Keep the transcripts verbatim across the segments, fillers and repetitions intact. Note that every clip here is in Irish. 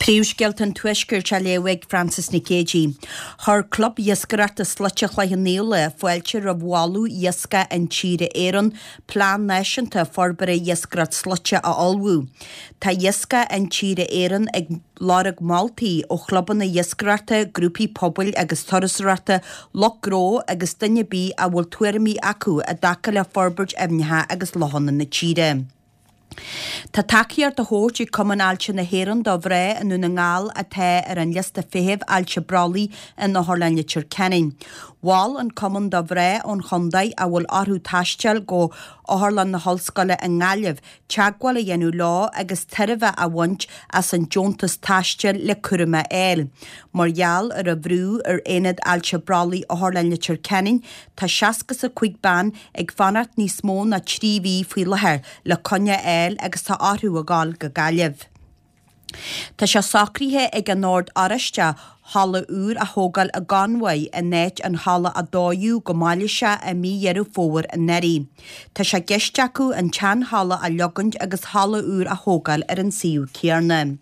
Príomhscéalta an Tuaiscirt á léamh ag Frances Nic Géadaigh. Chuir Club Iascaireachta Sluaite Chloich Cheann Fhaola fáilte roimh mholadh Iascach Intíre Éireann plean náisiúnta forbartha iascaireacht sluaite a ullmhú. Tá Iascach Intíre Éireann ag lorg moltaí ó chlubanna iascaireachta, grúpaí pobail agus turasóireachta, lucht gnó agus duine ar bith a bhfuil tuairimí acu i dtaca le forbairt aibhneacha agus lochanna na tíre. Tá tacaíocht á thabhairt ag Cumann Ailse na hÉireann do mhná i nDún na nGall atá ar an liosta feithimh ailse brollaigh in Otharlann Leitir Ceanainn. Mhol an cumann do mhná ón chontae a bhfuil orthu taisteal go Otharlann na hOllscoile i nGaillimh teagmháil a dhéanamh leo agus tairbhe a bhaint as an deontas taistil le cúram a fháil. Mar gheall ar an bhrú ar Aonad Ailse Brollaigh Otharlann Leitir Ceanainn, tá seasca is a cúig bean ag fanacht níos mó ná trí mhí faoi láthair le coinne a fháil agus tá orthu a ghabháil go Gaillimh. Tá sé socraithe ag an Ord Oráisteach halla úr a thógáil i gConmhaigh in áit an halla a dódh go mailíseach i mí Dheireadh Fómhair anuraidh. Tá sé i gceist acu an tseanhalla a leogaint agus halla úr a thógáil ar an suíomh céanna.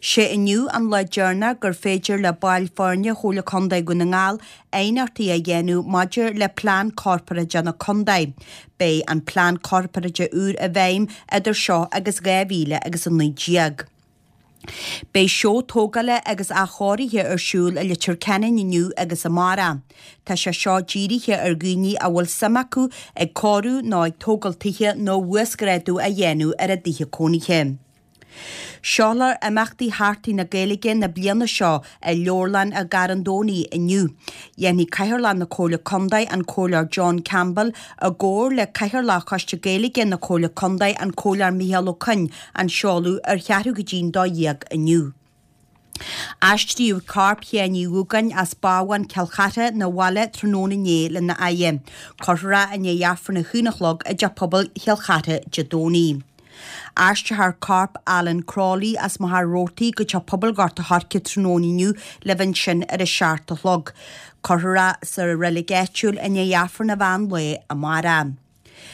Sé inniu an lá deireanach gur féidir le baill foirne Chomhairle Contae Dhún na nGall aighneachtaí a dhéanamh maidir le Plean Corparáide na Contae. Beidh an Plean Corparáide úr i bhfeidhm idir seo agus dhá mhíle agus a naoi déag. Beidh seó tógála agus athchóirithe ar siúl i Leitir Ceanainn inniu agus amárach. Tá sé seo dírithe ar dhaoine a bhfuil suim acu ag cóiriú nó ag tógáil tithe nó uasghrádú a dhéanamh ar a dtithe cónaithe. Seolfar imeachtaí Sheachtain na Gaeilge na bliana seo i Leabharlann an Gharráin Domhnaigh inniu. Dhéanfaidh Cathaoirleach na Comhairle Contae, an Comhairleoir John Campbell, i gcomhar le Cathaoirleach Choiste Gaeilge na Comhairle Contae, an Comhairleoir Micheál Ó Coinn, an seoladh ar cheathrú go dtí'n dó dhéag inniu. Aistríodh corp Sheáin Uí Dhúgáin as Bábhún Chill Chartha 'na bhaile tráthnóna inné lena fhaire. Cuirfear é i ndiaidh Aifreann a haon a chlog i dTeach Pobail Chill Chartha Dé Domhnaigh. Aistreofar corp Alan Crowley as Machaire Rabhartaigh go Teach Pobail Ghort a' Choirce tráthnóna inniu le bheith ansin ar a seacht a chlog. Cuirfear é sa reilig áitiúil i ndiaidh Aifreann an mheán lae amárach.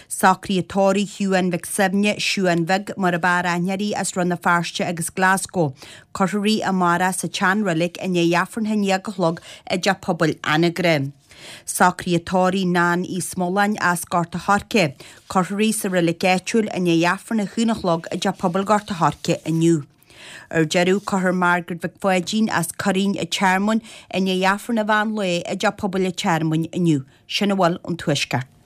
Socruithe tórraimh Shiúán Mhic Suibhne, Siúán Bheag, mar ab fhearr aithne uirthi, as Rann na Feirste agus Glasgow. Cuirfear í amárach sa tseanreilig i ndiaidh Aifreann a haon déag a chlog i dTeach Pobail Anagaire. Socruithe tórraimh Nan Uí Smuláin as Gort a' Choirce. Cuirfear í sa reilig áitiúil i ndiaidh Aifreann a haon a chlog i dTeach Pobail Ghort a' Choirce inniu. Ar deireadh, cuirfear Margaret Mhic Pháidín as Curraoin an Tearmainn i ndiaidh Aifreann an mheán lae i dTeach Pobail an Tearmainn inniu. Sin a bhfuil ón Tuaisceart.